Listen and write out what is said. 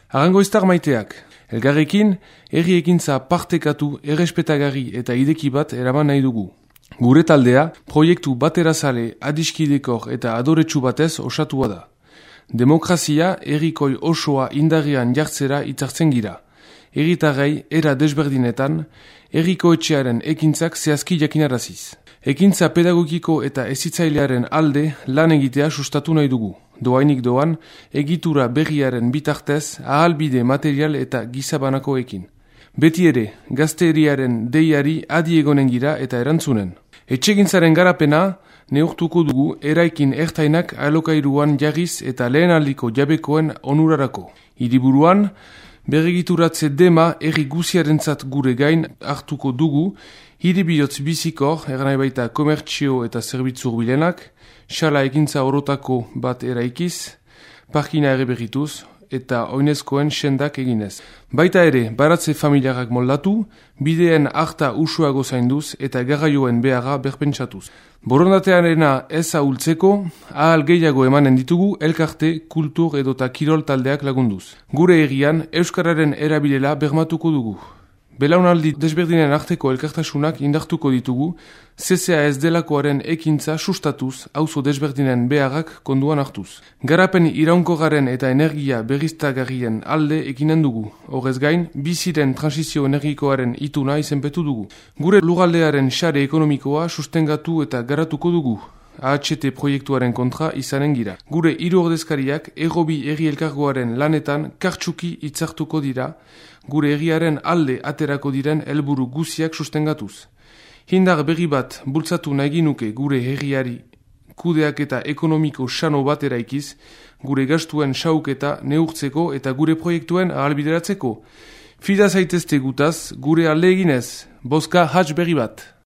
Arangoiztar maiteak, elgarrekin, herri ekintza partekatu, errespetagarri eta ideki bat eraman nahi dugu. Gure taldea, proiektu baterazale, adiskidekor eta adoretsu batez osatua da. Demokrazia herrikoi osoa indarrean jartzera itzartzen gira. Herritarrei era desberdinetan, herriko etxearen ekintzak zehazki jakinaraziz. Ekintza pedagogiko eta hezitzailearen alde lan egitea sustatu nahi dugu. Doainik doan, egitura berriaren bitartez ahalbide material eta gizabanakoekin. Beti ere, gazteriaren deiari adi egonen gira eta erantzunen. Etxegintzaren garapena neurtuko dugu eraikin ertainak alokairuan jarriz eta lehenaldiko jabekoen onurarako. Hiriburuan, berregituratze dema herri guziarentzat gure gain hartuko dugu, hiribihotz bizikor, eranai baita komertzio eta zerbitzur bilenak, xala ekintza orotako bat eraikiz, parkina ere berrituz, eta oinezkoen sendak eginez. Baita ere, baratze familiarrak moldatu, bideen harta usuago zainduz eta garraioen beharra berpentsatuz. Borondatearena ez ahultzeko, ahal gehiago emanen ditugu elkarte, kultur edota kirol taldeak lagunduz. Gure herrian, euskararen erabilela bermatuko dugu. Belaunaldi desberdinen arteko elkartasunak indartuko ditugu, CCAS delakoaren ekintza sustatuz, auzo desberdinen beharrak konduan hartuz. Garapen iraunkorraren eta energia berriztagarrien alde ekinen dugu. Horrez gain, biziren transizio energikoaren ituna izenpetu dugu. Gure lugaldearen sare ekonomikoa sustengatu eta garatuko dugu. AHT proiektuaren kontra izanen gira. Gure hiru ordezkariak errobi herri elkargoaren lanetan kartsuki hitzartuko dira, gure herriaren alde aterako diren helburu guziak sustengatuz. Hindar berri bat bultzatu nahi nuke gure herriari kudeak eta ekonomiko sano bat eraikiz, gure gastuen sauketa neurtzeko eta gure proiektuen ahalbideratzeko. Fida zaitezte gutaz, gure alde eginez, bozka hatz berri bat.